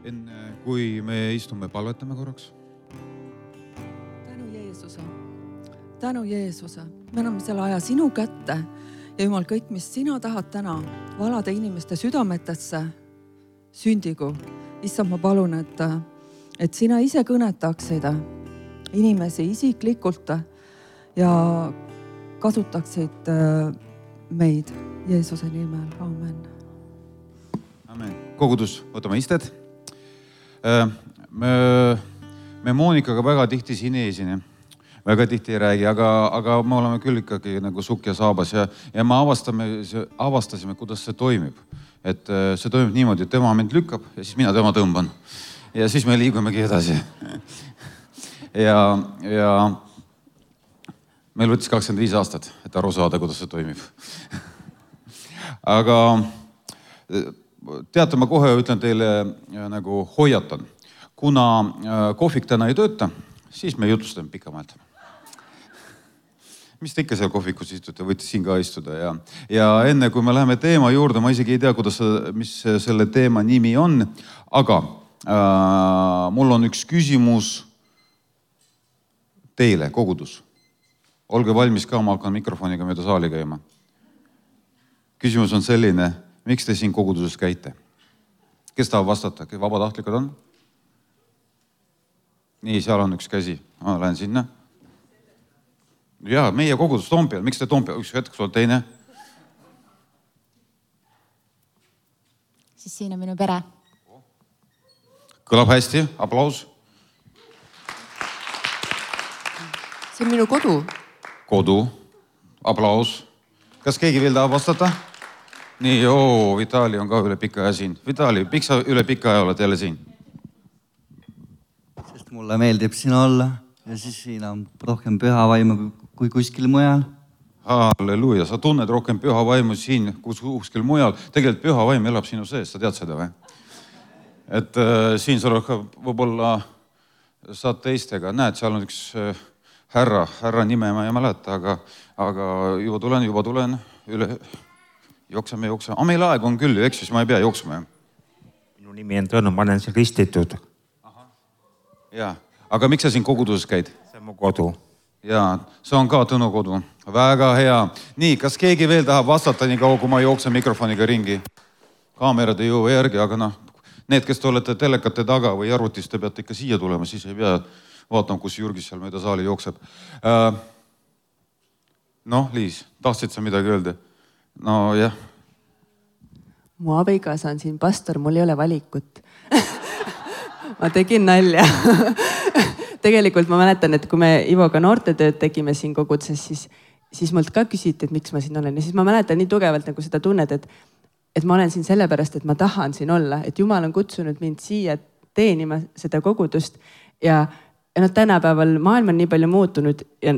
enne kui me istume, palvetame korraks. Tänu Jeesuse, me anname selle aja sinu kätte ja Jumal, kõik, mis sina tahad täna valada inimeste südametesse, sündigu. Issand, ma palun, et sina ise kõnetaksid inimesi isiklikult ja kasutaksid meid Jeesuse nimel. Amen. Amen. Kogudus, võtame istet. Me Monikaga väga tihti siin ei esine. Väga tihti ei räägi, aga me oleme küll ikkagi nagu sukk ja saabas ja me avastasime, kuidas see toimib. Et see toimib niimoodi, et tema mind lükkab ja siis mina tema tõmban. Ja siis me liigumegi edasi. ja meil võttis 25 aastat, et aru saada, kuidas see toimib. Aga teate, ma kohe ütlen teile nagu hoiatan. Kuna kohvik täna ei tööta, siis me jutlustame pikamaalt. Mis te ikka seal kohvikus istute, võite siin ka istuda. Ja enne kui me läheme teema juurde, ma isegi ei tea, mis selle teema nimi on, aga mul on üks küsimus teile, kogudus. Olge valmis ka, ma hakkan mikrofoniga mööda saali käima. Küsimus on selline, miks te siin koguduses käite? Kes tahab vastata? Vabatahtlikud on? Nii, seal on üks käsi. Ma lähen sinna. Jaa, meie kogudus Toompeal. Miks te Toompeal? Üks hetk, sul teine? Siis siin on minu pere. Kõlab hästi. Aplaus. See on minu kodu. Kodu. Aplaus. Kas keegi veel tahab vastata? Nii, Vitali on ka üle pika aja siin. Vitali, miks sa üle pika aja oled jälle siin? Sest mulle meeldib siin olla ja siis siin on rohkem püha vaimu kui kuskil mujal. Halleluuja, sa tunned rohkem püha vaimu siin kuskil mujal. Tegelikult püha vaim elab sinu sees, sa tead seda või? Et siin sa rohkem võib-olla saad teistega. Näed, seal on üks härra nime ma ei mäleta, aga juba tulen üle. Jookseme. Aga meil aeg on küll, eks siis ma ei pea jooksma. Minu nimi on Tõnu, ma olen siin ristitud. Jaa, aga miks sa siin koguduses käid? See on mu kodu. Jaa, see on ka Tõnu kodu. Väga hea. Nii, kas keegi veel tahab vastata nii kaua, kui ma jooksen mikrofoniga ringi? Kaamerad ei jõua järgi, aga need, kes te olete telekate taga või arvutis, te peate ikka siia tulema, siis ei pea vaatama, kus Jürgis seal mööda saali jookseb. Liis, tahtsid sa midagi öelda? No jah. Mu abikaasa on siin pastor, mul ei ole valikut. Ma tegin nalja. Tegelikult ma mäletan, et kui me Ivoga noortetööd tegime siin koguduses, siis mult ka küsiti, et miks ma siin olen. Ja siis ma mäletan nii tugevalt nagu seda tunnet, et ma olen siin sellepärast, et ma tahan siin olla. Et Jumal on kutsunud mind siia teenima seda kogudust. Ja tänapäeval maailm on nii palju muutunud ja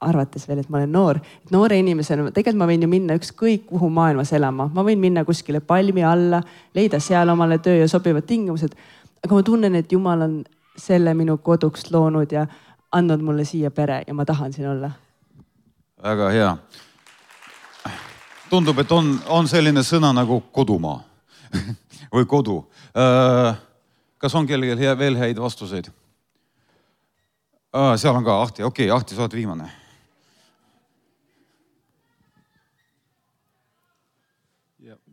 arvates veel, et ma olen noor. Et noore inimesena, tegelikult ma võin ju minna ükskõik kuhu maailmas elama. Ma võin minna kuskile palmi alla, leida seal omale töö ja sobivad tingimused. Aga ma tunnen, et Jumal on selle minu koduks loonud ja andnud mulle siia pere ja ma tahan siin olla. Väga hea. Tundub, et on selline sõna nagu kodumaa või kodu. Kas on kellelgi veel häid vastuseid? Seal on ka Ahti. Okei, Ahti, sa oled viimane.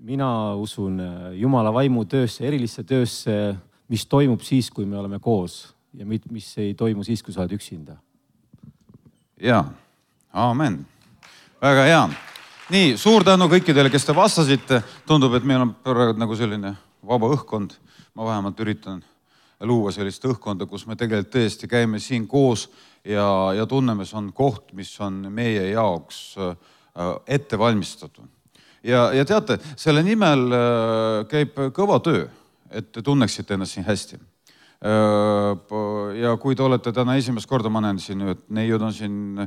Mina usun Jumala vaimu töösse, erilisse töösse, mis toimub siis, kui me oleme koos ja mis ei toimu siis, kui sa oled üksinda. Jaa, aamen. Väga hea. Nii, suur tänu kõikidele, kes te vastasite. Tundub, et meil on praegu nagu selline vaba õhkkond. Ma vähemalt üritan luua sellist õhkkonda, kus me tegelikult tõesti käime siin koos ja tunneme, see on koht, mis on meie jaoks ette valmistatud. Ja teate, selle nimel käib kõva töö, et te tunneksite ennast siin hästi. Ja kui te olete täna esimest korda, ma näen siin, et neiud on siin,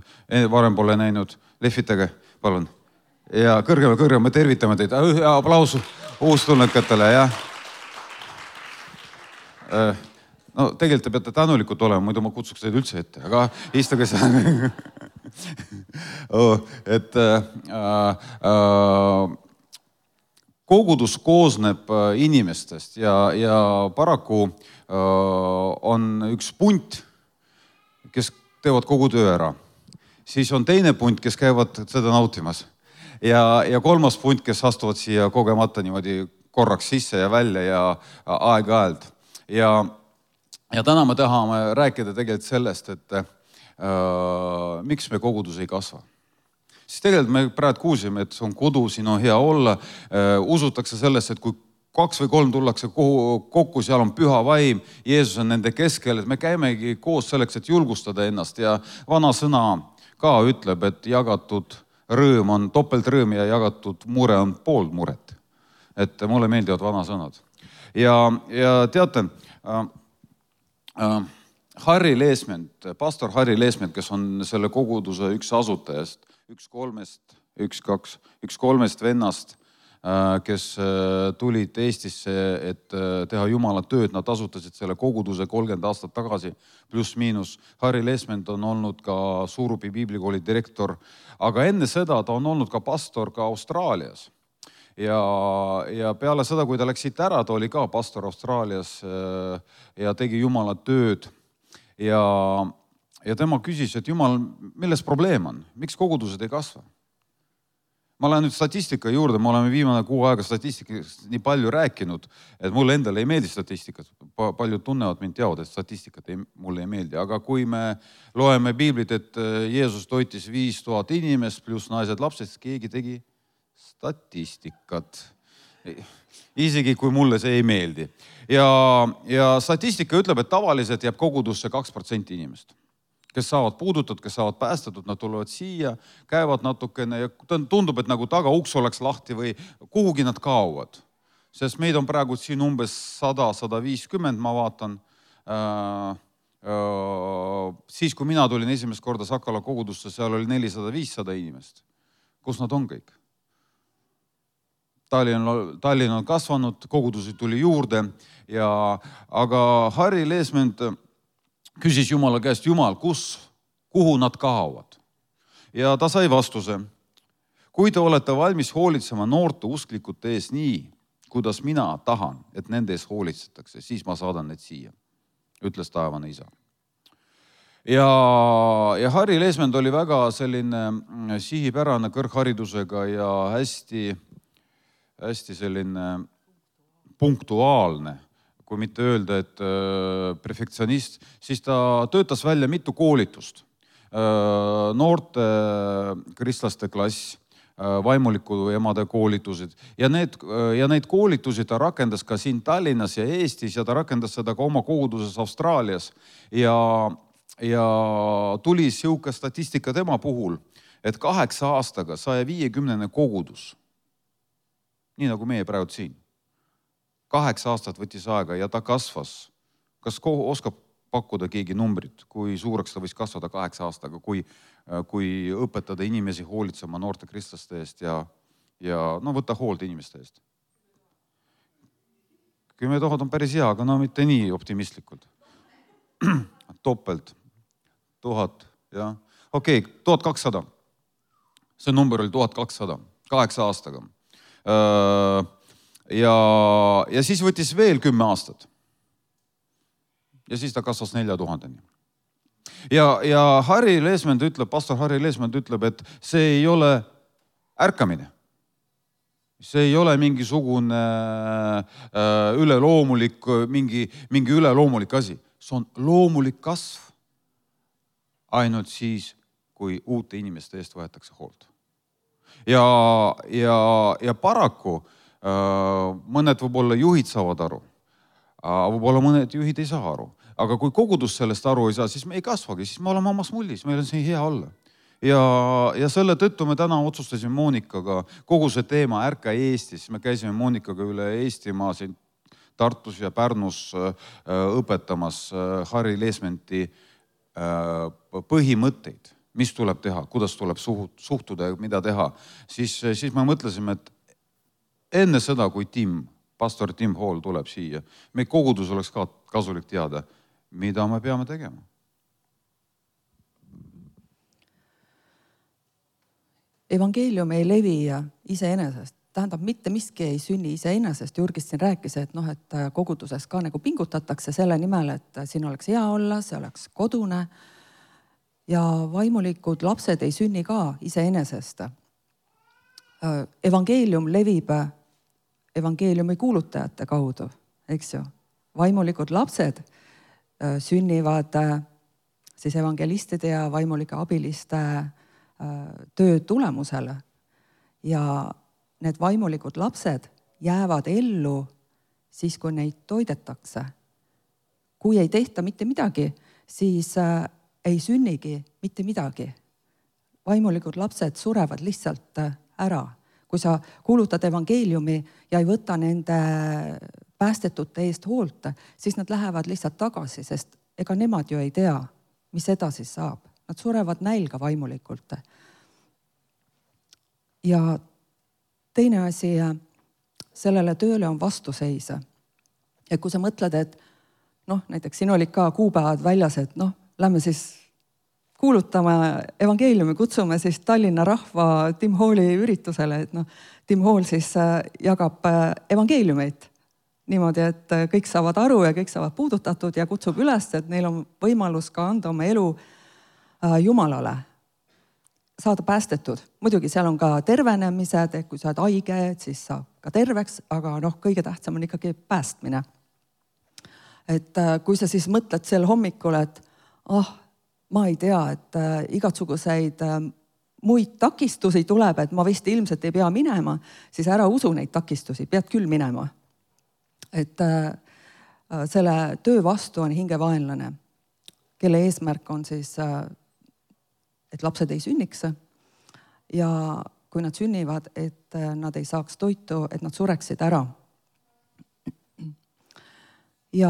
varem pole näinud, lehvitage, palun. Ja kõrgema, me tervitame teid. Aplaus uustulnukatele, jah. No tegelikult te peate tänulikud olema, muidu ma kutsuks teid üldse ette, aga istuge seal. Et kogudus koosneb inimestest ja paraku on üks punt, kes teevad kogu töö ära. Siis on teine punt, kes käivad seda nautimas. Ja kolmas punt, kes astuvad siia kogemata niimoodi korraks sisse ja välja ja aeg-ajalt. Ja täna me tahame rääkida tegelikult sellest, et miks me kogudus ei kasva. Siis tegelikult me praegu kuulsime, et see on kodu, siin on hea olla. Usutakse sellest, et kui 2 või 3 tullakse kokku, seal on püha vaim, Jeesus on nende keskel, et me käimegi koos selleks, et julgustada ennast. Ja vana sõna ka ütleb, et jagatud rõõm on topeltrõõm ja jagatud mure on pool muret. Et mulle meeldivad vana sõnad. Ja teate, Harri Leesment, pastor Harri Leesment, kes on selle koguduse üks asutajast, üks kolmest vennast, kes tulid Eestisse, et teha Jumala tööd. Nad asutasid selle koguduse 30 aastat tagasi, pluss miinus. Harri Leesment on olnud ka Suurupi piiblikooli direktor, aga enne seda ta on olnud ka pastor ka Austraalias. Ja peale seda, kui ta läks siit ära, ta oli ka pastor Austraalias ja tegi Jumala tööd. Ja tema küsis, et Jumal, milles probleem on? Miks kogudused ei kasva? Ma olen nüüd statistika juurde, me oleme viimane 6 aega statistikast nii palju rääkinud, et mulle endale ei meeldi statistikat. Paljud tunnevad mind teavad, et statistikat mulle ei meeldi. Aga kui me loeme piiblit, et Jeesus toitis 5000 inimest pluss naised lapsed, keegi tegi statistikat. Isegi kui mulle see ei meeldi. Ja statistika ütleb, et tavaliselt jääb kogudusse 2% inimest. Kes saavad puudutud, kes saavad päästetud, nad tulevad siia, käivad natukene ja tundub, et nagu tagauks oleks lahti või kuhugi nad kaovad. Sest meid on praegu siin umbes 100-150, ma vaatan. Siis, kui mina tulin esimest korda Sakala kogudusse, seal oli 400-500 inimest. Kus nad on kõik? Tallinn on kasvanud, kogudusi tuli juurde, aga Harri Leesment küsis Jumala käest, Jumal, kuhu nad kaovad? Ja ta sai vastuse. Kui te olete valmis hoolitsema noorte usklikute ees nii, kuidas mina tahan, et nende ees hoolitsetakse, siis ma saadan need siia, ütles taevane isa. Ja Harri Leesment oli väga selline sihipärane kõrgharidusega ja hästi selline punktuaalne, kui mitte öelda, et perfektsionist, siis ta töötas välja mitu koolitust. Noorte kristlaste klass, vaimuliku emade koolitused ja neid koolitusi ta rakendas ka siin Tallinnas ja Eestis ja ta rakendas seda ka oma koguduses Austraalias ja tuli siuke statistika tema puhul, et 8 aastaga 150 kogudus, nii nagu meie praegu siin. 8 aastat võttis aega ja ta kasvas. Kas oskab pakkuda keegi numbrit, kui suureks ta võis kasvada 8 aastaga, kui õpetada inimesi hoolitsema noorte kristlaste eest ja võtta hoolt inimeste eest? 10 000 on päris hea, aga mitte nii optimistlikult. Topelt. 1000, jah. Okei, 1200. See number oli 1200, 8 aastaga. Ja siis võttis veel 10 aastat. Ja siis ta kasvas 4000-ni. Ja Harri Leesment ütleb, pastor Harri Leesment ütleb, et see ei ole ärkamine. See ei ole mingisugune üleloomulik, mingi üleloomulik asi. See on loomulik kasv ainult siis, kui uute inimeste eest võetakse hoolt. Ja paraku mõned võib-olla juhid saavad aru, võib-olla mõned juhid ei saa aru. Aga kui kogudus sellest aru ei saa, siis me ei kasvagi, siis me oleme omas mullis, meil on siin hea olla. Ja selle tõttu me täna otsustasime Monikaga kogu see teema Ärka Eestis. Me käisime Monikaga üle Eestimaa siin Tartus ja Pärnus õpetamas Harri Leesmenti põhimõtteid, mis tuleb teha, kuidas tuleb suhtuda ja mida teha. Siis me mõtlesime, et enne seda, kui pastor Tim Hall tuleb siia, meie kogudus oleks ka kasulik teada, mida me peame tegema. Evangeelium ei levi iseenesest. tähendab, mitte miski ei sünni iseenesest. Jurgis siin rääkis, et noh, et koguduses ka nagu pingutatakse selle nimel, et siin oleks hea olla, see oleks kodune. Ja vaimulikud lapsed ei sünni ka iseenesest. Evangeelium levib evangeeliumi kuulutajate kaudu, eks ju. Vaimulikud lapsed sünnivad siis evangelistide ja vaimulike abiliste töö tulemusele. Ja need vaimulikud lapsed jäävad ellu siis, kui neid toidetakse. Kui ei tehta mitte midagi, siis ei sünnigi mitte midagi. Vaimulikud lapsed surevad lihtsalt ära. Kui sa kuulutad evangeeliumi ja ei võta nende päästetute eest hoolt, siis nad lähevad lihtsalt tagasi, sest ega nemad ju ei tea, mis edasi saab. Nad surevad nälga vaimulikult. Ja teine asi, sellele tööle on vastuseis. Ja kui sa mõtled, et noh, näiteks siin olid ka kuupäevad väljas, et noh, lähme siis kuulutama evangeeliumi, kutsume siis Tallinna rahva Tim Halli üritusele, et noh, Tim Hall siis jagab evangeeliumeid niimoodi, et kõik saavad aru ja kõik saavad puudutatud ja kutsub üles, et neil on võimalus ka anda oma elu Jumalale, saada päästetud. Muidugi seal on ka tervenemised, et kui sa oled haige, siis saab ka terveks, aga noh, kõige tähtsam on ikkagi päästmine. Et kui sa siis mõtled sel hommikul, et ma ei tea, et igatsuguseid muid takistusi tuleb, et ma vist ilmselt ei pea minema, siis ära usu neid takistusi, pead küll minema. Et selle töö vastu on hingevaenlane, kelle eesmärk on siis, et lapsed ei sünniks ja kui nad sünnivad, et nad ei saaks toitu, et nad sureksid ära. Ja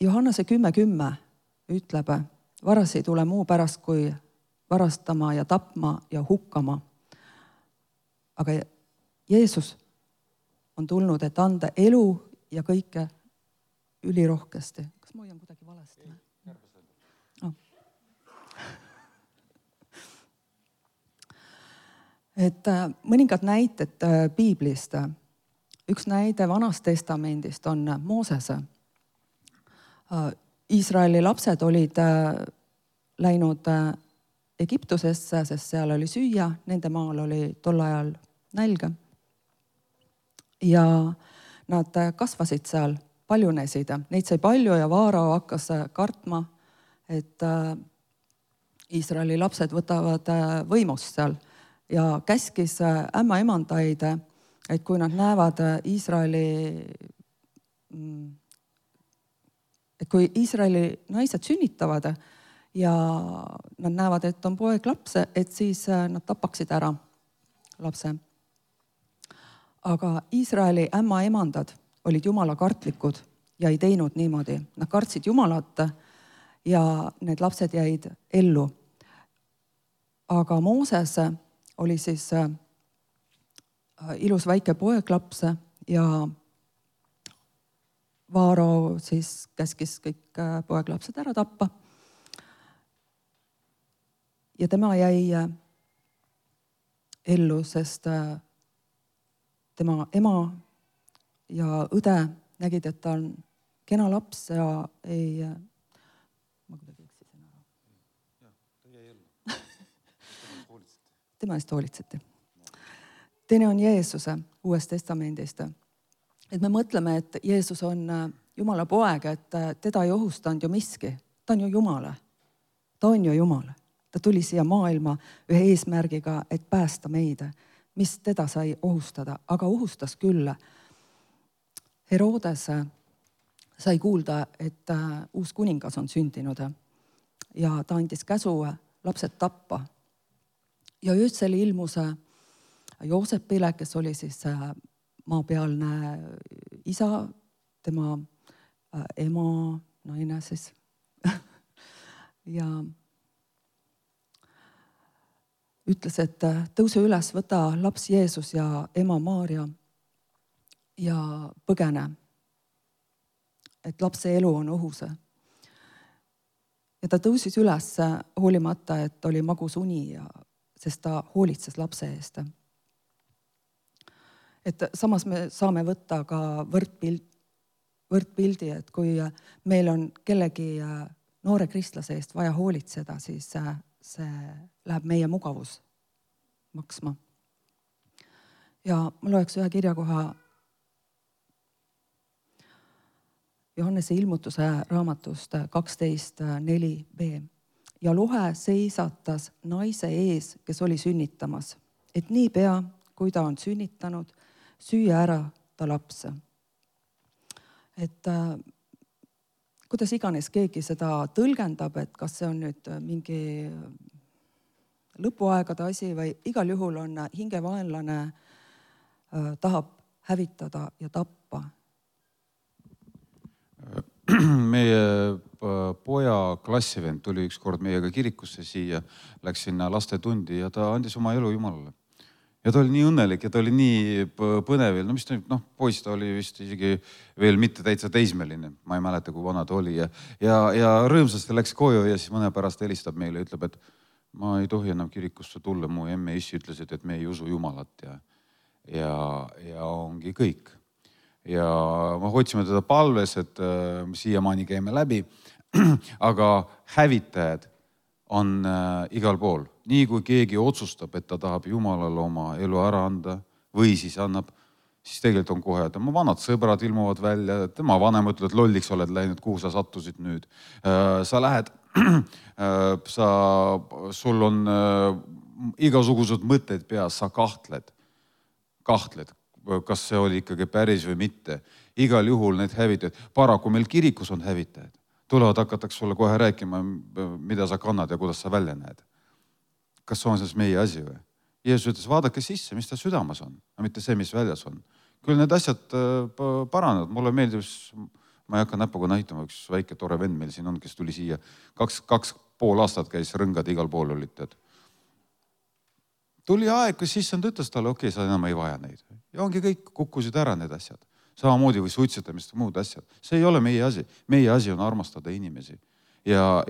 Johannese 10:10 ütleb, varas ei tule muu pärast kui varastama ja tapma ja hukkama. Aga Jeesus on tulnud, et anda elu ja kõike ülirohkesti. Kas ma hoian kuidagi valesti? Et mõningad näited piiblist. Üks näide Vanast testamendist on Mooses. Iisraeli lapsed olid läinud Egiptusesse, sest seal oli süüa, nende maal oli tol ajal nälg. Ja nad kasvasid seal, paljunesid. Neid sai palju ja Vaarao hakkas kartma, et Iisraeli lapsed võtavad võimust seal ja käskis ämmaemandaid, et kui nad näevad kui Iisraeli naised sünnitavad ja nad näevad, et on poeg laps, et siis nad tapaksid ära lapse. Aga Iisraeli ämmaemandad olid Jumala kartlikud ja ei teinud niimoodi. Nad kartsid Jumalat ja need lapsed jäid ellu. Aga Mooses oli siis ilus väike poeglaps ja Vaarao siis käskis kõik poeglapsed ära tappa. Ja tema jäi ellu, sest tema ema ja õde nägid, et ta on kena laps ja ei... Ma kuidagi eksisin ära. Ta jäi ellu. Tema eest hoolitseti. Teine on Jeesuse Uuest Testamendist. Et me mõtleme, et Jeesus on Jumala poeg, et teda ei ohustanud ju miski. Ta on ju Jumala. Ta on ju Jumal. Ta tuli siia maailma ühe eesmärgiga, et päästa meid, mis teda sai ohustada. Aga ohustas küll. Herodes sai kuulda, et uus kuningas on sündinud ja ta andis käsu lapsed tappa. Ja öösel ilmus Joosepile, kes oli siis maapealne isa, tema ema, naine siis. Ja ütles, et tõuse üles, võta laps Jeesus ja ema Maaria ja põgene, et lapse elu on ohus. Ja ta tõusis üles hoolimata, et oli magus uni, sest ta hoolitses lapse eest. et samas me saame võtta ka võrdpildi, et kui meil on kellegi noore kristlase eest vaja hoolitseda, siis see läheb meie mugavus maksma. Ja ma loeks ühe kirjakoha Johannese ilmutuse raamatust 12.4b. Ja Lohe seisatas naise ees, kes oli sünnitamas, et niipea, kui ta on sünnitanud, süüa ära ta laps. Et kuidas iganes keegi seda tõlgendab, et kas see on nüüd mingi lõpuaegade asi või igal juhul on hingevaenlane tahab hävitada ja tappa. Meie poja klassivend tuli üks kord meiega kirikusse siia, läks sinna lastetundi ja ta andis oma elu Jumalale. Ja ta oli nii õnnelik ja ta oli nii põnevil. No mis ta, poiss ta oli vist isegi veel mitte täitsa teismeline. Ma ei mäleta, kui vana ta oli. Ja rõõmsasti läks koju ja siis mõne pärast helistab meile ja ütleb, et ma ei tohi enam kirikusse tulla. Mu emme issi ütlesid, et me ei usu Jumalat ja ongi kõik. Ja me hoidsime teda palves, et siiamaani käime läbi, aga hävitajad on igal pool. Nii kui keegi otsustab, et ta tahab Jumalale oma elu ära anda või siis annab, siis tegelikult on kohe, et tema vanad sõbrad ilmuvad välja, tema vanem ütleb, et lolliks oled läinud, kuhu sa sattusid nüüd. Sa lähed, sul on igasugused mõtted peas, sa kahtled, kas see oli ikkagi päris või mitte. Igal juhul need hävitajad. Paraku meil kirikus on hävitajad. Tulevad hakatakse sulle kohe rääkima, mida sa kannad ja kuidas sa välja näed. Kas see on siis meie asi või? Jeesus ütles, vaadake sisse, mis ta südamas on, mitte see, mis väljas on. Küll need asjad paranevad. Mulle meeldib, ma ei hakka näpuga näitama, üks väike tore vend meil siin on, kes tuli siia. 2,5 aastat käis rõngad igal pool olid. Tuli aeg, kus sissand ütles talle, okei, sa enam ei vaja neid. Ja ongi kõik, kukkusid ära need asjad. Samamoodi või suitsetamist ja muud asjad. See ei ole meie asi. Meie asi on armastada inimesi. Ja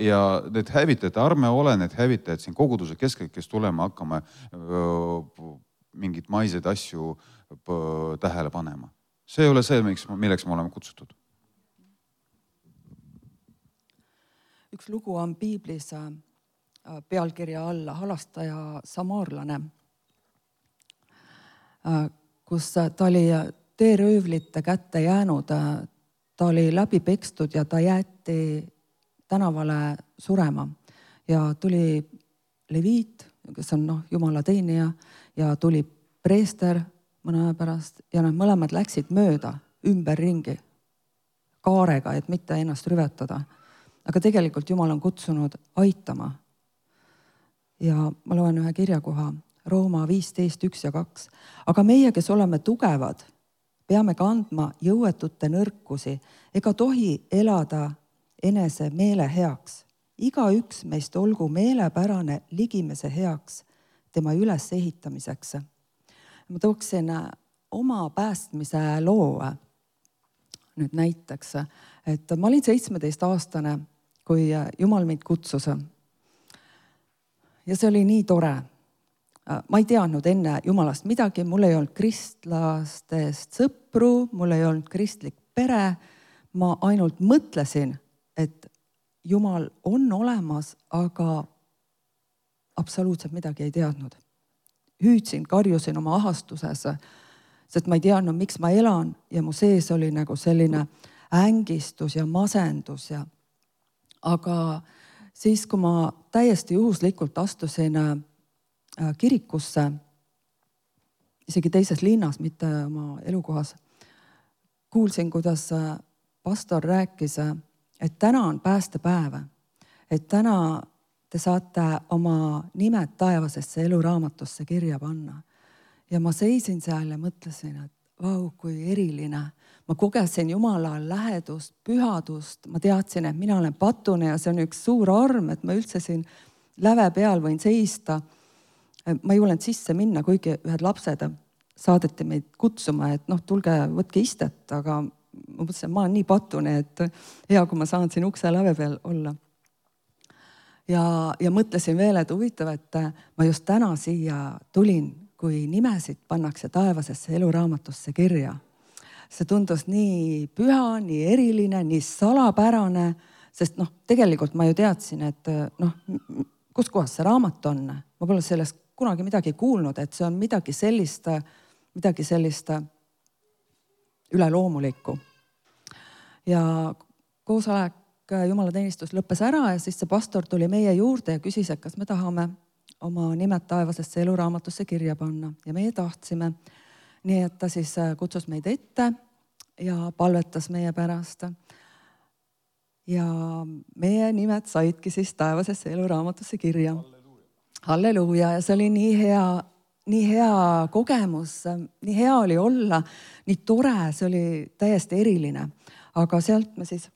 need hävitajad, arme ole need hävitajad siin koguduse keskel, kes tulema hakkame mingid maiseid asju tähele panema. See ei ole see, milleks me oleme kutsutud. Üks lugu on piiblis pealkirja alla halastaja samaarlane, kus ta oli teeröövlite kätte jäänud, ta oli läbi pekstud ja ta jäeti tänavale surema ja tuli leviit, kes on Jumala teenija ja tuli preester mõne aja pärast ja nad mõlemad läksid mööda ümberringi kaarega, et mitte ennast rüvetada. Aga tegelikult Jumal on kutsunud aitama. Ja ma loen ühe kirjakoha Rooma 15.1 ja 2. Aga meie, kes oleme tugevad, peame kandma jõuetute nõrkusi ega tohi elada enese meele heaks. Iga üks meist olgu meelepärane ligimese heaks tema üles ehitamiseks. Ma tooksin oma päästmise loo nüüd näiteks, et ma olin 17-aastane, kui Jumal mind kutsus. Ja see oli nii tore. Ma ei teadnud enne Jumalast midagi, mul ei olnud kristlastest sõpru, mul ei olnud kristlik pere. Ma ainult mõtlesin, et Jumal on olemas, aga absoluutselt midagi ei teadnud. Hüüdsin, karjusin oma ahastuses, sest ma ei teadnud, miks ma elan ja mu sees oli nagu selline ängistus ja masendus. Aga siis, kui ma täiesti juhuslikult astusin kirikusse, isegi teises linnas, mitte oma elukohas, kuulsin, kuidas pastor rääkis, et täna on päästepäev, et täna te saate oma nimed taevasesse eluraamatusse kirja panna. Ja ma seisin seal ja mõtlesin, et vau, kui eriline. Ma kogesin Jumala lähedust, pühadust, ma teadsin, et mina olen patune ja see on üks suur arm, et ma üldse siin läve peal võin seista. Ma ei olnud sisse minna, kuigi ühed lapsed saadeti meid kutsuma, et tulge, võtke istet, aga ma mõtlesin, ma olen nii patune, et hea, kui ma saan siin ukse läve peal olla. Ja mõtlesin veel, et huvitav, et ma just täna siia tulin, kui nimesid pannakse taevasesse eluraamatusse kirja. See tundus nii püha, nii eriline, nii salapärane, sest tegelikult ma ju teadsin, et kus kohas see raamat on. Ma pole sellest kunagi midagi kuulnud, et see on midagi sellist üleloomulikku. Ja koosolek jumalateenistus lõppes ära ja siis see pastor tuli meie juurde ja küsis, et kas me tahame oma nimed taevasesse eluraamatusse kirja panna ja meie tahtsime. Nii et ta siis kutsus meid ette ja palvetas meie pärast. Ja meie nimed saidki siis taevasesse eluraamatusse kirja. Halleluuja. Ja see oli nii hea kogemus, nii hea oli olla, nii tore, see oli täiesti eriline. Aga sealt me siis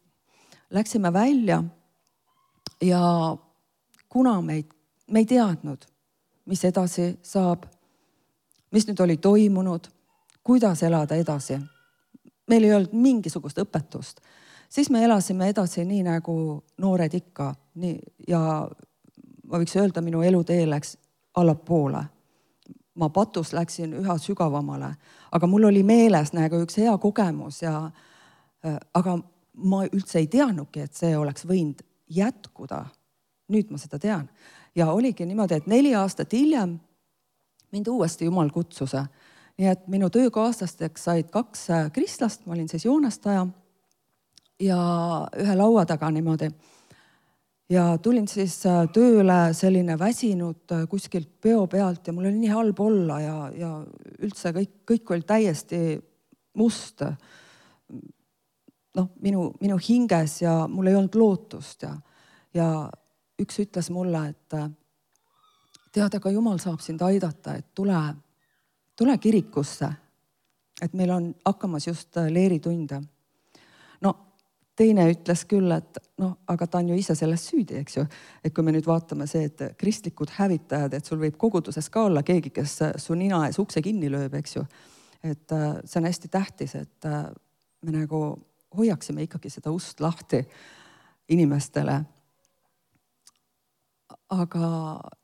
läksime välja ja kuna me ei teadnud, mis edasi saab, mis nüüd oli toimunud, kuidas elada edasi. Meil ei olnud mingisugust õpetust. Siis me elasime edasi nii nagu noored ikka. Ja ma võiks öelda, minu elutee läks allapoole. Ma patus läksin üha sügavamale. Aga mul oli meeles nagu üks hea kogemus. Aga ma üldse ei teadnudki, et see oleks võinud jätkuda. Nüüd ma seda tean. Ja oligi niimoodi, et 4 aastat hiljem mind uuesti Jumal kutsuse. Nii et minu töökaaslasteks said 2 kristlast, ma olin siis joonestaja ja ühe laua taga niimoodi. Ja tulin siis tööle selline väsinud kuskilt peo pealt ja mul oli nii halb olla ja üldse kõik oli täiesti must minu hinges ja mul ei olnud lootust ja üks ütles mulle, et tead, aga Jumal saab sind aidata, et tule kirikusse, et meil on hakkamas just leeritunde. Teine ütles küll, et aga ta on ju ise sellest süüdi, eks ju. Et kui me nüüd vaatame see, et kristlikud hävitajad, et sul võib koguduses ka olla keegi, kes su nina ees ukse kinni lööb, eks ju. Et see on hästi tähtis, et me nagu hoiaksime ikkagi seda ust lahti inimestele. Aga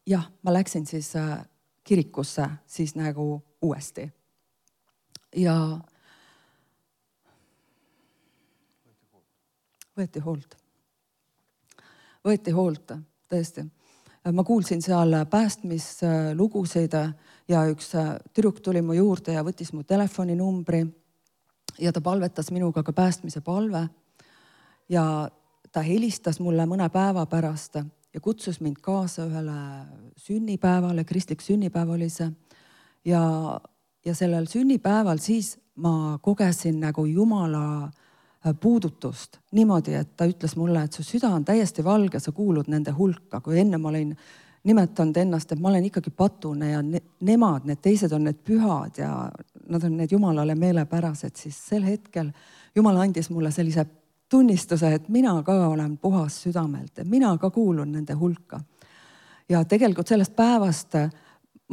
jah, ma läksin siis kirikusse siis nagu uuesti. Ja võeti hoolt, tõesti. Ma kuulsin seal päästmislugusid ja üks tüdruk tuli mu juurde ja võttis mu telefoninumbri ja ta palvetas minuga ka päästmise palve ja ta helistas mulle mõne päeva pärast ja kutsus mind kaasa ühele sünnipäevale, kristlik sünnipäev oli see ja sellel sünnipäeval siis ma kogesin nagu Jumala puudutust niimoodi, et ta ütles mulle, et su süda on täiesti valge, sa kuulud nende hulka. Kui enne ma olin nimetanud ennast, et ma olen ikkagi patune ja nemad, need teised on need pühad ja nad on need Jumalale meelepärased, siis sel hetkel Jumal andis mulle sellise tunnistuse, et mina ka olen puhas südamelt, et mina ka kuulun nende hulka. Ja tegelikult sellest päevast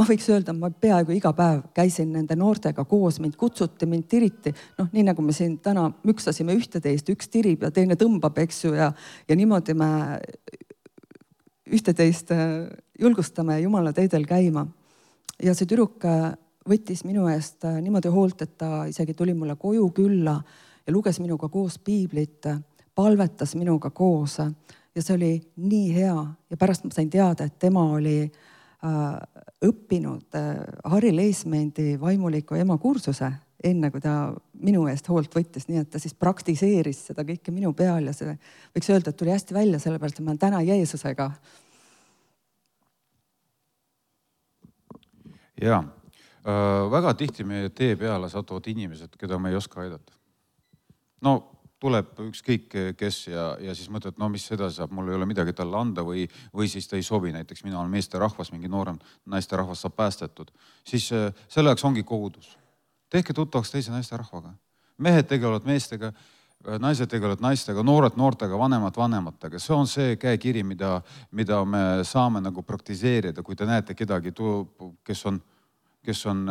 ma võiks öelda, ma peaaegu iga päev käisin nende noortega koos, mind kutsuti, mind tiriti. Nii nagu me siin täna müksasime ühteteist, üks tirib ja teine tõmbab, eks ju, ja niimoodi me ühteteist julgustame Jumala teedel käima. Ja see tüdruk võttis minu eest niimoodi hoolt, et ta isegi tuli mulle koju külla ja luges minuga koos piiblit, palvetas minuga koos ja see oli nii hea. Ja pärast ma sain teada, et tema oli õppinud Harri Leismendi vaimuliku ema kursuse, enne kui ta minu eest hoolt võttis, nii et ta siis praktiseeris seda kõike minu peal ja see võiks öelda, et tuli hästi välja, sellepärast et ma olen täna Jeesusega. Jaa, väga tihti meie tee peale satuvad inimesed, keda me ei oska aidata. Tuleb ükskõik kes ja siis mõtled, mis edasi saab, mul ei ole midagi talle anda või siis ta ei sobi, näiteks mina olen meeste rahvas, mingi noorem naiste rahvas saab päästetud. Siis selle jaoks ongi kogudus. Tehke tuttavaks teise naiste rahvaga. Mehed tegelevad meestega, naised tegelevad naistega, noored noortega, vanemad vanematega. See on see käekiri, mida me saame nagu praktiseerida, kui te näete kedagi, kes on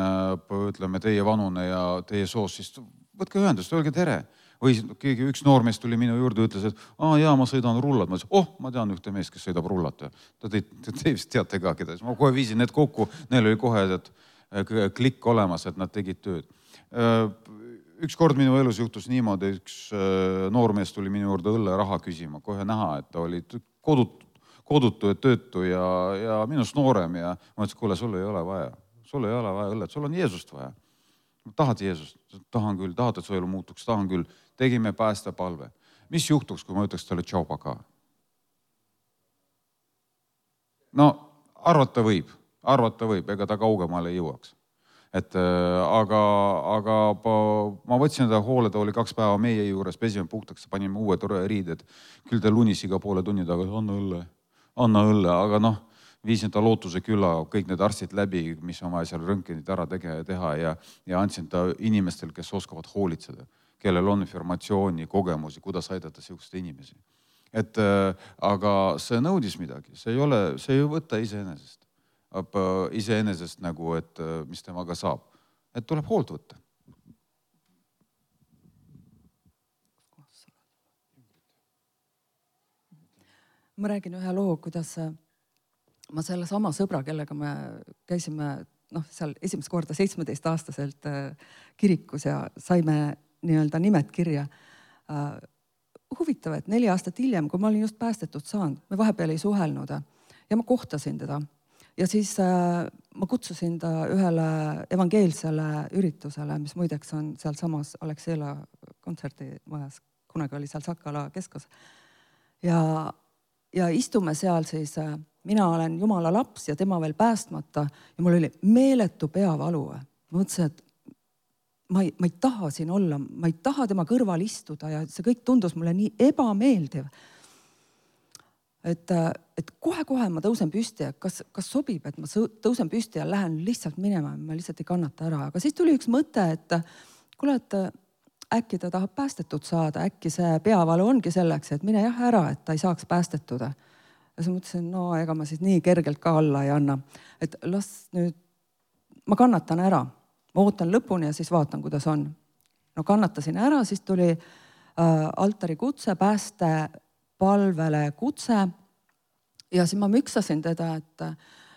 ütleme, teie vanune ja teie soos, siis võtke ühendust, öelge tere. Või üks noormees tuli minu juurde ja ütles, et ma sõidan rullat. Ma ütlesin, ma tean ühte meest, kes sõidab rullat. Ta teist teate ka keda. Ma kohe viisin need kokku, neil oli kohe, et klikk olemas, et nad tegid tööd. Üks kord minu elus juhtus niimoodi, üks noormees tuli minu juurde õlleraha küsima, kohe näha, et ta oli kodutu ja töötu ja minust noorem ja ma ütlesin, kuule, sul ei ole vaja õllet, sul on Jeesust vaja. Tahad Jeesust? Tahan küll, tahad, et su elu muutuks, tahan küll. Tegime päästepalve. Mis juhtuks, kui ma ütleks talle tšau paka? No arvata võib, ega ta kaugemale ei jõuaks. Aga ma võtsin ta hoole, ta oli 2 päeva meie juures, pesime puhtaks, panime uue tore riided. Küll ta lunis iga poole tunni taga, anna õlle, aga viisin ta lootuse külla, kõik need arstid läbi, mis on vaja seal röntgenid ära teha ja andsin ta inimestel, kes oskavad hoolitseda, kellel on informatsiooni, kogemusi, kuidas aidata selliseid inimesi. Aga see nõudis midagi, see ei võta iseenesest nagu, et mis temaga saab. Et tuleb hoolt võtta. Ma räägin ühe loo, kuidas ma selle sama sõbra, kellega me käisime seal esimest korda 17-aastaselt kirikus ja saime nii-öelda nimed kirja. Huvitav, et 4 aastat hiljem, kui ma olin just päästetud saanud, me vahepeal ei suhelnud ja ma kohtasin teda. Ja siis ma kutsusin ta ühele evangeelsele üritusele, mis muideks on seal samas Alexela kontserdimajas, kunagi oli seal Sakala keskus. Ja istume seal siis, mina olen Jumala laps ja tema veel päästmata ja mul oli meeletu peavalu. Ma mõtlesin, et ma ei taha siin olla, ma ei taha tema kõrval istuda ja see kõik tundus mulle nii ebameeldiv. Et kohe ma tõusen püsti ja kas sobib, et ma tõusen püsti ja lähen lihtsalt minema, ma lihtsalt ei kannata ära. Aga siis tuli üks mõte, et kuule, et äkki ta tahab päästetud saada, äkki see peavalu ongi selleks, et mine jah ära, et ta ei saaks päästetud. Ja siis mõtlesin, no ega ma siis nii kergelt ka alla ei anna. Et las nüüd, ma kannatan ära, ma ootan lõpuni ja siis vaatan, kuidas on. No kannatasin ära, siis tuli altari kutse, päästepalvele kutse ja siis ma müksasin teda, et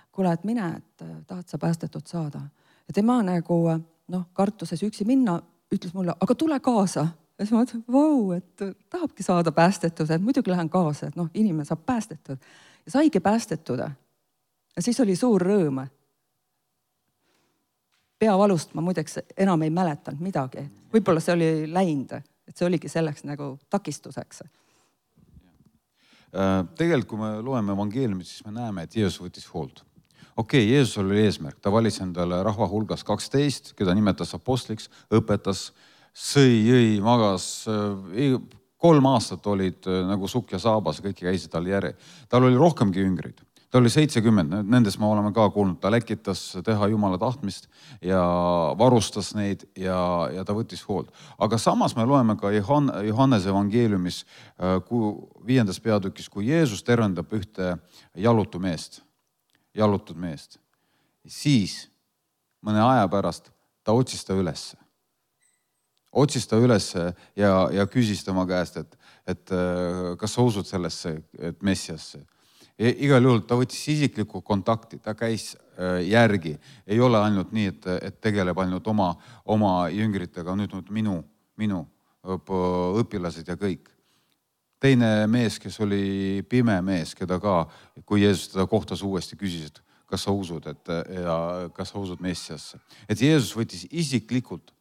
kuule, et mine, et tahad sa päästetud saada. Ja tema nagu kartuses üksi minna, ütles mulle, aga tule kaasa. Ja siis ma mõtlesin, vau, et tahabki saada päästetud, et muidugi lähen kaasa, et inimene saab päästetud. Ja saigi päästetud. Ja siis oli suur rõõm. Peavalust ma muideks enam ei mäletanud midagi. Võib-olla see oli läinud, et see oligi selleks nagu takistuseks. Tegelikult, kui me loeme evangeeliumit, siis me näeme, et Jeesus võttis hoolt. Okei, Jeesus oli eesmärk, ta valis endale rahva hulgas 12, keda nimetas apostliks, õpetas, sõi, magas, 3 aastat olid nagu sukk ja saabas, kõik käisid tal järje. Tal oli rohkemgi jüngrid, ta oli 70, nendest me oleme ka kuulnud, ta läkitas teha Jumala tahtmist ja varustas neid ja ta võttis hoolt. Aga samas me loeme ka Johannese evangeeliumis 5. peatükis, kui Jeesus tervendab ühte jalutud meest. Siis mõne aja pärast ta otsis ta ülesse. Otsis ta ülesse ja küsis tema käest, et kas sa usud sellesse, et Messiasse. Igal juhul ta võttis isiklikku kontakti, ta käis järgi. Ei ole ainult nii, et tegeleb ainult oma jüngritega, nüüd minu õpilased ja kõik. Teine mees, kes oli pime mees, keda ka, kui Jeesus teda kohtas uuesti, küsis, et kas sa usud, ja kas sa usud Messiasse. Et Jeesus võttis isiklikult,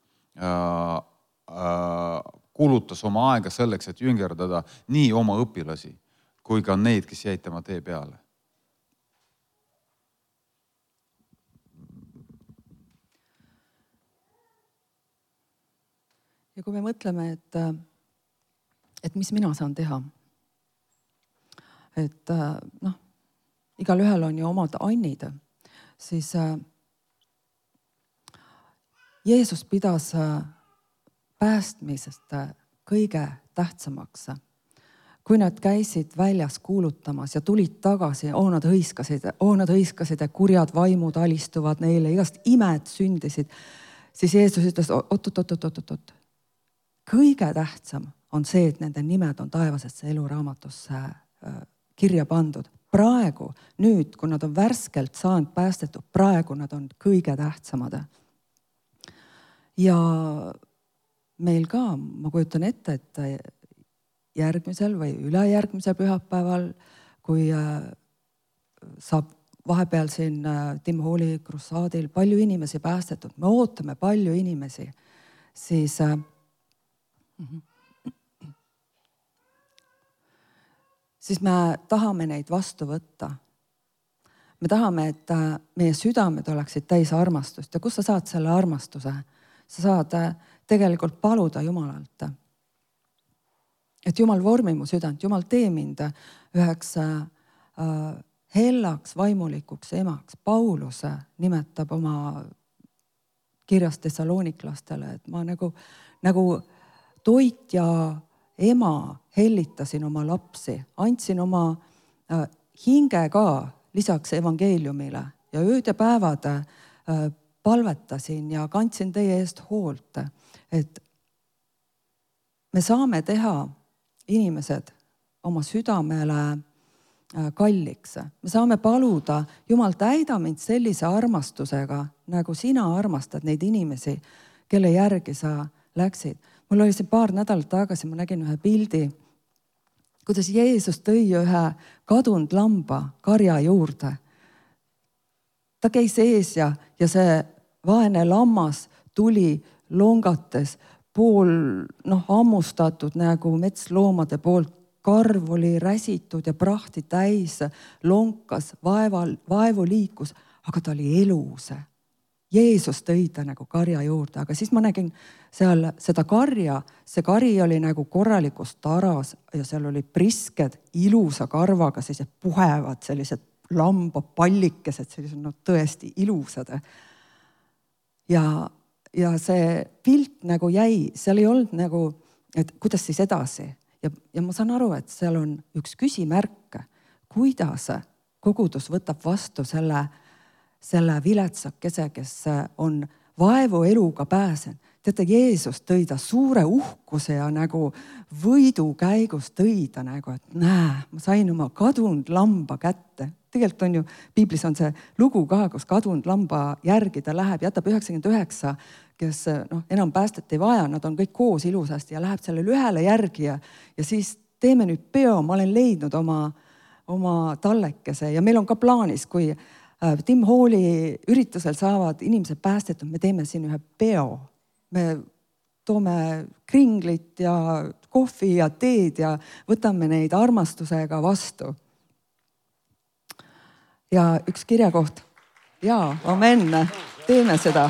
kulutas oma aega selleks, et jüngerdada nii oma õpilasi, kui ka neid, kes jäid tema tee peale. Ja kui me mõtleme, et mis mina saan teha. Et igal ühel on ju omad annid, siis Jeesus pidas päästmisest kõige tähtsamaks. Kui nad käisid väljas kuulutamas ja tulid tagasi, nad hõiskasid, et kurjad vaimud alistuvad neile, igast imed sündisid, siis Jeesus ütles, oot. Kõige tähtsam on see, et nende nimed on taevasesse eluraamatusse kirja pandud. praegu, nüüd, kui nad on värskelt saanud päästetud, praegu nad on kõige tähtsamad. Ja meil ka, ma kujutan ette, et järgmisel või ülejärgmisel pühapäeval, kui saab vahepeal siin Tim Halli krussaadil palju inimesi päästetud, me ootame palju inimesi, siis me tahame neid vastu võtta. Me tahame, et meie südamed oleksid täis armastust. Ja kus sa saad selle armastuse? Sa saad tegelikult paluda Jumalalt. Et Jumal vormi mu südant, Jumal tee mind üheks hellaks, vaimulikuks emaks. Paulus nimetab oma kirjas Thessaloniklastele, et ma nagu toit ja ema hellitasin oma lapsi, andsin oma hinge ka lisaks evangeeliumile ja ööd ja päevad palvetasin ja kandsin teie eest hoolt, et me saame teha inimesed oma südamele kalliks. Me saame paluda, Jumal, täida mind sellise armastusega, nagu sina armastad neid inimesi, kelle järgi sa läksid. Mul oli siin paar nädalat tagasi, ma nägin ühe pildi, kuidas Jeesus tõi ühe kadunud lamba karja juurde. Ta käis ees ja see vaene lammas tuli longates, pool ammustatud nagu metsloomade poolt. Karv oli räsitud ja prahti täis, lonkas, vaevu liikus, aga ta oli elus. Jeesus tõi ta nagu karja juurde, aga siis ma nägin seal seda karja, see kari oli nagu korralikus taras ja seal oli prisked, ilusa karvaga, sellised puhevad, sellised lambapallikesed, sellised tõesti ilusad. Ja see pilt nagu jäi, seal ei olnud nagu, et kuidas siis edasi. Ja ma saan aru, et seal on üks küsimärk, kuidas kogudus võtab vastu selle viletsakese, kes on vaevu eluga pääsen. Teate, Jeesus tõi ta suure uhkuse ja nagu võidu käigus tõi ta nagu, et näe, ma sain oma kadunud lamba kätte. Tegelikult on ju, Piiblis on see lugu ka, kus kadunud lamba järgi ta läheb, jätab 99, kes enam päästet ei vaja, nad on kõik koos ilusasti ja läheb sellele ühele järgi ja siis teeme nüüd peo, ma olen leidnud oma tallekese ja meil on ka plaanis, kui Tim Halli üritusel saavad inimesed päästetud, me teeme siin ühe peo. Me toome kringlit ja kohvi ja teed ja võtame neid armastusega vastu. Ja üks kirjakoht. Jaa, amen, teeme seda.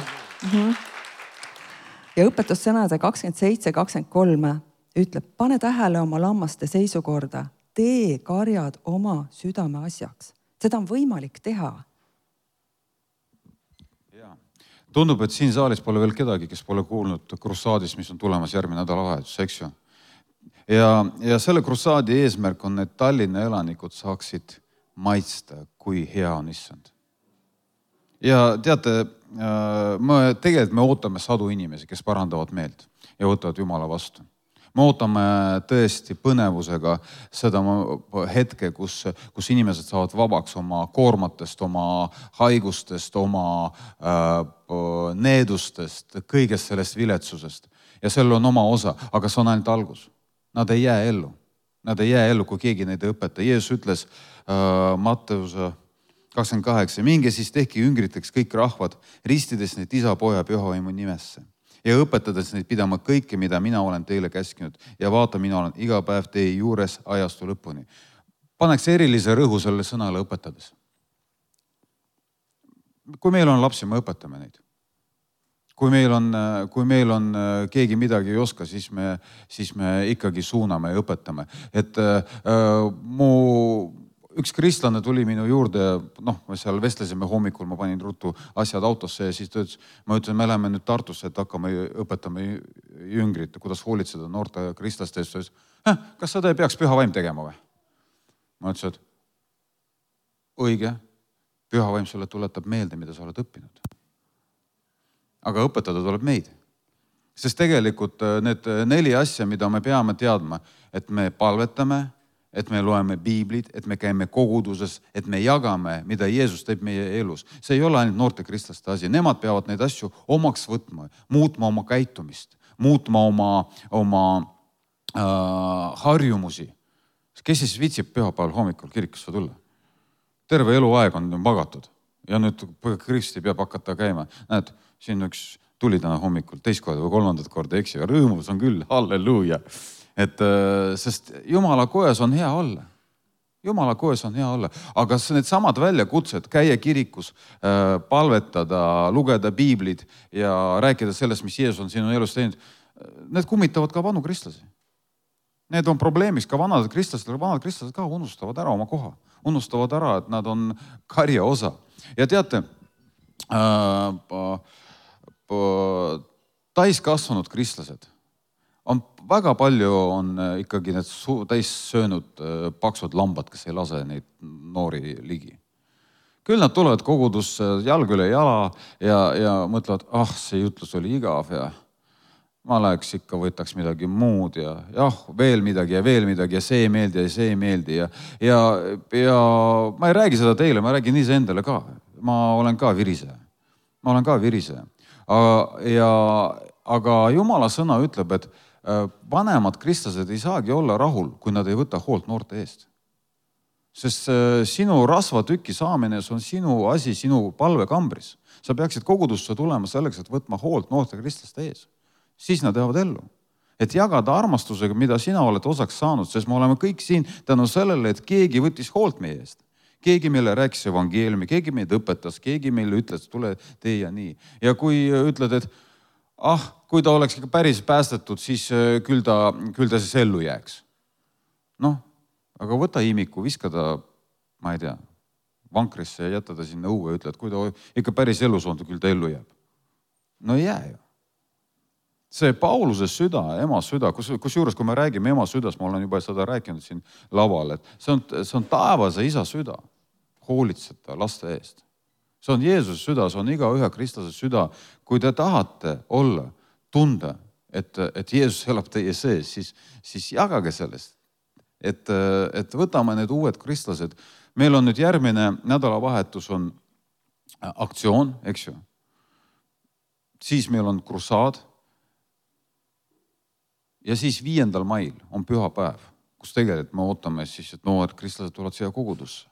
Ja õpetussõnade 27-23 ütleb, pane tähele oma lammaste seisukorda, tee karjad oma südame asjaks. Seda on võimalik teha. Tundub, et siin saalis pole veel kedagi, kes pole kuulnud krussaadist, mis on tulemas järgmine nädalavahetus, eks ju. Ja selle krussaadi eesmärk on, et Tallinna elanikud saaksid maitsta, kui hea on issand. Ja teate, tegelikult me ootame sadu inimesi, kes parandavad meelt ja võtavad Jumala vastu. Me ootame tõesti põnevusega seda hetke, kus inimesed saavad vabaks oma koormatest, oma haigustest, oma needustest, kõigest sellest viletsusest. Ja sellel on oma osa, aga see on ainult algus. Nad ei jää ellu. Nad ei jää ellu, kui keegi neid ei õpeta. Jeesus ütles Matteuse 28, minge siis tehke jüngriteks kõik rahvad, ristides neid isa, poja, pühavaimu nimesse. Ja õpetades neid pidama kõike, mida mina olen teile käskinud. Ja vaata, mina olen iga päev teie juures ajastu lõpuni. Paneks erilise rõhu selle sõnale õpetades. Kui meil on lapsi, me õpetame neid. Kui meil on keegi midagi ei oska, siis me ikkagi suuname ja õpetame. Et üks kristlane tuli minu juurde, me seal vestlesime hommikul, ma panin ruttu asjad autosse ja siis ta ütles, ma ütlen, me läheme nüüd Tartusse, et hakkame õpetama jüngrit, kuidas hoolitseda noorte kristlaste eest. Kas seda ei peaks püha vaim tegema või? Ma ütlesin, et õige, püha vaim sulle tuletab meelde, mida sa oled õppinud. Aga õpetada tuleb meid. Sest tegelikult need 4 asja, mida me peame teadma, et me palvetame, et me loeme piiblit, et me käime koguduses, et me jagame, mida Jeesus teeb meie elus. See ei ole ainult noorte kristlaste asi. Nemad peavad neid asju omaks võtma, muutma oma käitumist, muutma oma harjumusi. Kes siis viitsib pühapäeval hommikul kirikusse tulla? Terve eluaeg on magatud ja nüüd Kristi peab hakata käima. Näed, siin üks tuli täna hommikul teist korda või kolmandat korda, eks ju, rõõmus on küll, halleluuja. Sest Jumala kojas on hea olla. Jumala kojas on hea olla. Aga need samad väljakutsed, käia kirikus, palvetada, lugeda piiblid ja rääkida sellest, mis Jeesus on sinu elus teinud, need kummitavad ka vanu kristlasi. Need on probleemiks ka vanad kristlased ka unustavad ära oma koha. Unustavad ära, et nad on karja osa. Ja teate, täiskasvanud kristlased on väga palju on ikkagi need täis söönud paksud lambad, kes ei lase neid noori ligi. Küll nad tulevad kogudusse jalg üle jala ja mõtlevad, see jutlus oli igav ja ma läheks ikka, võtaks midagi muud ja veel midagi ja see ei meeldi ja see ei meeldi ja ma ei räägi seda teile, ma räägin iseendale ka. Ma olen ka viriseja. Aga Jumala sõna ütleb, et vanemad kristlased ei saagi olla rahul, kui nad ei võta hoolt noorte eest. Sest sinu rasvatüki saamine, see on sinu asi, sinu palvekambris. Sa peaksid kogudusse tulema selleks, et võtma hoolt noorte kristlaste ees. Siis nad jäävad ellu. Et jagada armastusega, mida sina oled osaks saanud, sest me oleme kõik siin tänu sellele, et keegi võttis hoolt meie eest. Keegi meile rääkis evangeeliumi, keegi meid õpetas, keegi meile ütles, tule tee ja nii. Ja kui ütled, et kui ta oleks ikka päris päästetud, siis küll ta siis ellu jääks. Aga võta imiku, viska ta, ma ei tea, vankrisse ja jätta ta sinna õue ja ütle, et kui ta ikka päris elus on, küll ta ellu jääb. No ei jää ju. See Pauluse süda, ema süda, kusjuures kui me räägime ema südast, ma olen juba seda rääkinud siin laval, et see on taevase isa süda, hoolitseta laste eest. See on Jeesuse süda, see on iga ühe kristlase süda. Kui te tahate olla, tunda, et Jeesus elab teie sees, siis jagage sellest. Et võtame need uued kristlased. Meil on nüüd järgmine nädalavahetus on aktsioon, eks ju. Siis meil on krusaad. Ja siis 5. mail on pühapäev, kus tegelikult me ootame siis, et noored kristlased tulevad siia kogudusse.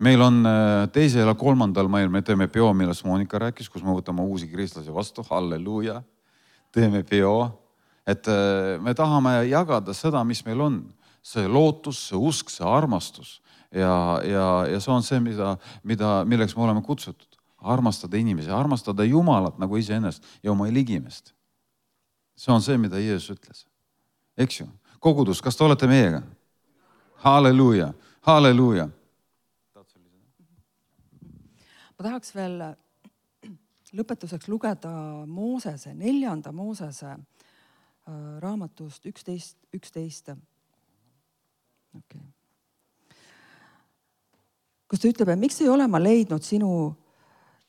Meil on 2. ja 3. mail, me teeme peo, millest Monika rääkis, kus me võtame uusi kristlasi vastu, halleluuja, teeme peo, et me tahame jagada seda, mis meil on, see lootus, see usk, see armastus ja see on see, milleks me oleme kutsutud, armastada inimesi, armastada Jumalat nagu iseennast ja oma ligimest. See on see, mida Jeesus ütles. Eks ju? Kogudus, kas te olete meiega? Halleluuja, halleluuja. Ma tahaks veel lõpetuseks lugeda Moosese, 4. Moosese raamatust 11. Okay. Kus ta ütleb, et miks ei ole ma leidnud sinu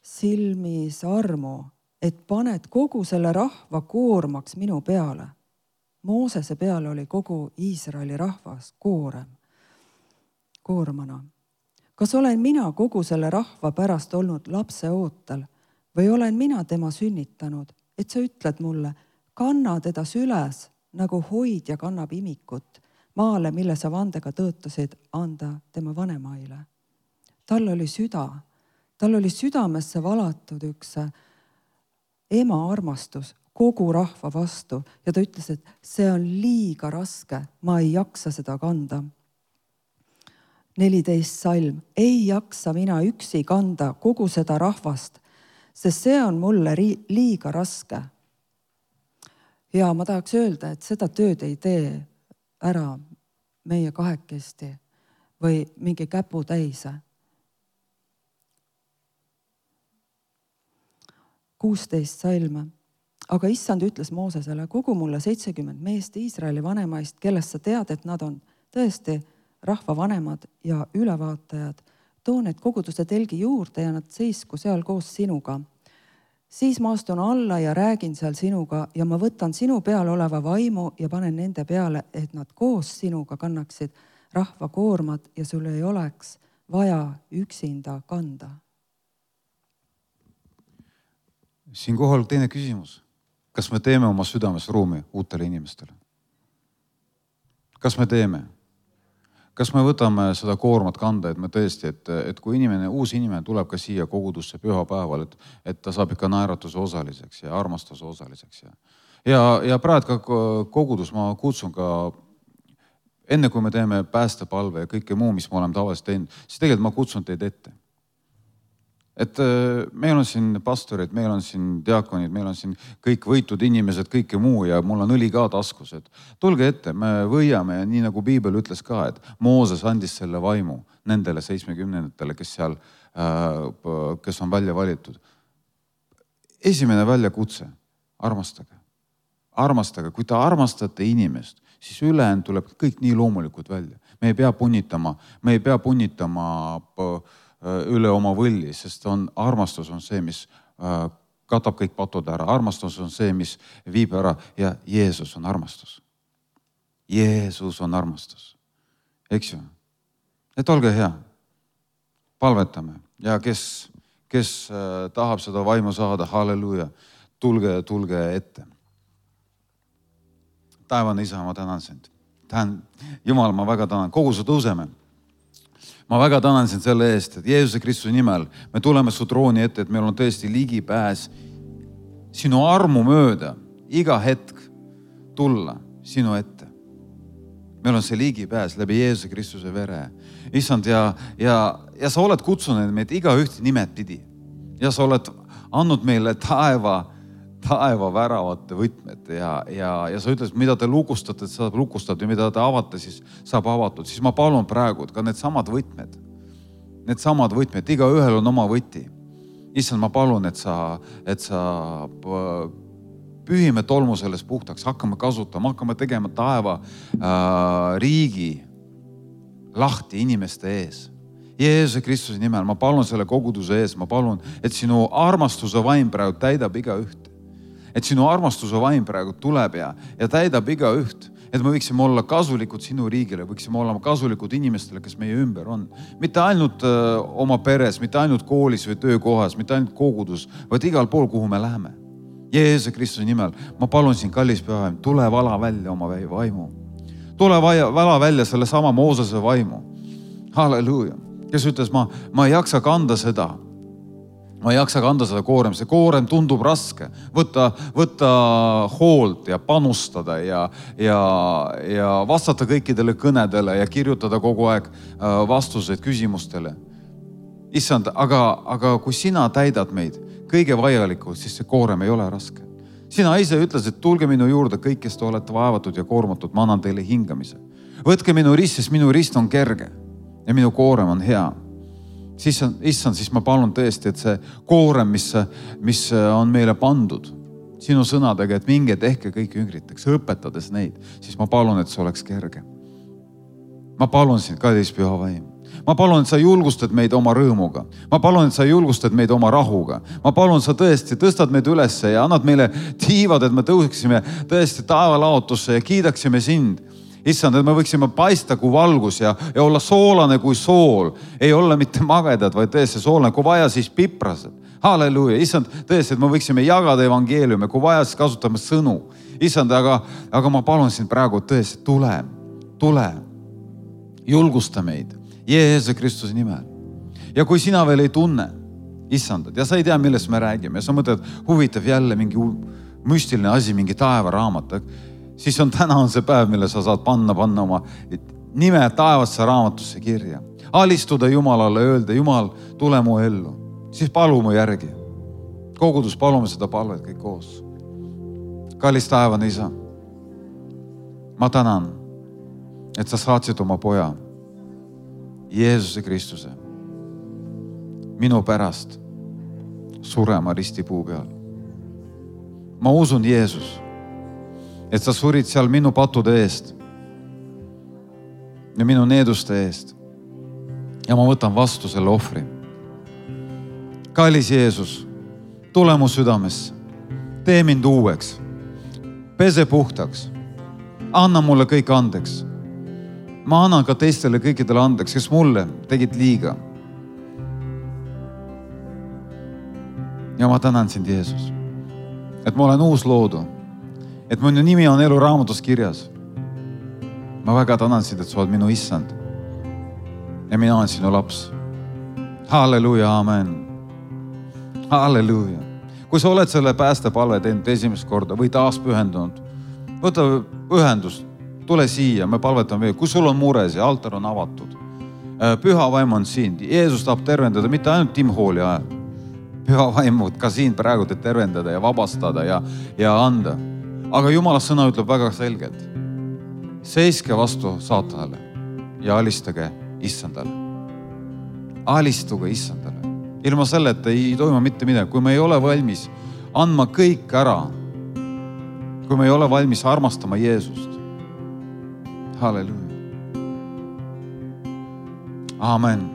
silmis armu, et paned kogu selle rahva koormaks minu peale. Moosese peale oli kogu Iisraeli rahvas koormana. Kas olen mina kogu selle rahva pärast olnud lapse ootel või olen mina tema sünnitanud, et sa ütled mulle, kanna teda süles, nagu hoidja kannab imikut, maale, mille sa vandega tõotasid anda tema vanemaile. Tal oli südamesse valatud üks ema armastus kogu rahva vastu ja ta ütles, et see on liiga raske, ma ei jaksa seda kanda. 14. salm, ei jaksa mina üksi kanda kogu seda rahvast, sest see on mulle liiga raske. Ja ma tahaks öelda, et seda tööd ei tee ära meie kahekesti või mingi käputäise. 16. salm. Aga issand ütles Moosesele, kogu mulle 70 meest Iisraeli vanemaist, kellest sa tead, et nad on tõesti rahva vanemad ja ülevaatajad. Too need koguduse telgi juurde ja nad seisku seal koos sinuga. Siis ma astun alla ja räägin seal sinuga ja ma võtan sinu peal oleva vaimu ja panen nende peale, et nad koos sinuga kannaksid rahva koormad ja sul ei oleks vaja üksinda kanda. Siinkohal teine küsimus. Kas me teeme oma südames ruumi uutele inimestele? Kas me teeme? Kas me võtame seda koormat kanda, et me tõesti, et kui uus inimene tuleb ka siia kogudusse pühapäeval, et ta saab ikka naeratuse osaliseks ja armastuse osaliseks. Ja praegu ka kogudus ma kutsun ka, enne kui me teeme päästepalve ja kõike muu, mis me oleme tavaliselt teinud, siis tegelikult ma kutsun teid ette. Et meil on siin pastorid, meil on siin diakonid, meil on siin kõik võitud inimesed, kõike muu ja mul on õli ka taskus. Et tulge ette, me võiame ja nii nagu Piibel ütles ka, et Mooses andis selle vaimu nendele 70-tele, kes on välja valitud. Esimene väljakutse, armastage. Armastage, kui te armastate inimest, siis ülejäänud tuleb kõik nii loomulikult välja. Me ei pea punnitama üle oma võlli, sest armastus on see, mis katab kõik patud ära. Armastus on see, mis viib ära ja Jeesus on armastus. Jeesus on armastus. Eks ju? Et olge hea. Palvetame. Ja kes tahab seda vaimu saada, halleluja, tulge ette. Taevane Isa, ma tänan sind. Jumal, ma väga tänan. Kogu su tõuseme. Ma väga tänan sind selle eest, et Jeesuse Kristuse nimel me tuleme su trooni ette, et meil on tõesti ligipääs sinu armu mööda iga hetk tulla sinu ette. Meil on see ligipääs läbi Jeesuse Kristuse vere. Issand, ja sa oled kutsunud meid iga ühte nimed pidi. Ja sa oled andnud meile taeva väravate võtmed ja sa ütles, mida te lukustate, saab lukustada ja mida te avate, siis saab avatud. Siis ma palun praegu, ka need samad võtmed, iga ühel on oma võti. Issand, ma palun, et sa pühime tolmu sellest puhtaks, hakkame kasutama, hakkame tegema taeva riigi lahti inimeste ees. Jeesuse Kristuse nimel, ma palun selle koguduse ees, ma palun, et sinu armastuse vaim praegu täidab iga üht. Et sinu armastuse vaim praegu tuleb ja täidab iga üht. Et me võiksime olla kasulikud sinu riigile, võiksime olla kasulikud inimestele, kes meie ümber on. Mitte ainult oma peres, mitte ainult koolis või töökohas, mitte ainult kogudus, vaid igal pool, kuhu me läheme. Jeesuse Kristuse nimel, ma palun siin, kallis pühaim, tule vala välja oma vaimu. Tule vala välja selle sama Moosese vaimu. Halleluuja. Kes ütles, ma ei jaksa kanda seda. Ma ei jaksa kanda seda koorem. See koorem tundub raske. Võtta hoolt ja panustada ja vastata kõikidele kõnedele ja kirjutada kogu aeg vastuseid küsimustele. Issand, aga kui sina täidad meid kõige vajalikult, siis see koorem ei ole raske. Sina ise ütles, et tulge minu juurde kõik, kes te olete vaevatud ja koormatud, ma annan teile hingamise. Võtke minu rist, sest minu rist on kerge ja minu koorem on hea. Issand, siis ma palun tõesti, et see koorem, mis on meile pandud sinu sõnadega, et minge tehke kõik jüngriteks, õpetades neid, siis ma palun, et see oleks kerge. Ma palun sind, kallis püha vaim. Ma palun, et sa julgustad meid oma rõõmuga. Ma palun, et sa julgustad meid oma rahuga. Ma palun, sa tõesti tõstad meid üles ja annad meile tiivad, et me tõuseksime tõesti taevalaotusse ja kiidaksime sind. Issand, et me võiksime paista kui valgus ja olla soolane kui sool. Ei olla mitte magedad, vaid tõesti soolane. Kui vaja, siis piprased. Halleluuja. Issand, tõesti, et me võiksime jagada evangeeliumi. Kui vaja, siis kasutame sõnu. Issand, aga ma palun sind praegu tõesti, tule. Julgusta meid. Jeesuse Kristuse nimel. Ja kui sina veel ei tunne, Issand, ja sa ei tea, millest me räägime, ja sa mõtled, huvitav jälle mingi müstiline asi, mingi taevaraamat, siis täna on see päev, mille sa saad panna oma nime taevasse raamatusse kirja. Alistuda Jumalale, öelda, Jumal, tule mu ellu. Siis palu mu järgi. Kogudus, palume seda palvet kõik koos. Kallis taevane Isa, ma tänan, et sa saatsid oma poja, Jeesuse Kristuse, minu pärast surema ristipuu peal. Ma usun, Jeesus, et sa surid seal minu pattude eest ja minu needuste eest. Ja ma võtan vastu selle ohvri. Kallis Jeesus, tule mu südamesse. Tee mind uueks. Pese puhtaks. Anna mulle kõik andeks. ma annan ka teistele kõikidele andeks, kes mulle tegid liiga. Ja ma tänan sind, Jeesus, et ma olen uus loodu, et minu nimi on eluraamatus kirjas. Ma väga tänan sind, et sa oled minu issand ja mina olen sinu laps. Halleluuja, amen. Halleluuja. Kui sa oled selle päästepalve teinud esimest korda või taas pühendunud, võta ühendust, tule siia, me palvetame veel. Kui sul on mures ja altar on avatud, püha vaim on siin. Jeesus tahab tervendada mitte ainult Tim Halli ajal. Püha vaimud ka siin praegu te tervendada ja vabastada ja anda. Aga Jumala sõna ütleb väga selgelt. Seiske vastu saatanale ja alistage issandale. Alistuge issandale. Ilma selleta ei toimu mitte midagi. Kui me ei ole valmis andma kõik ära, kui me ei ole valmis armastama Jeesust. Halleluuja. Amen.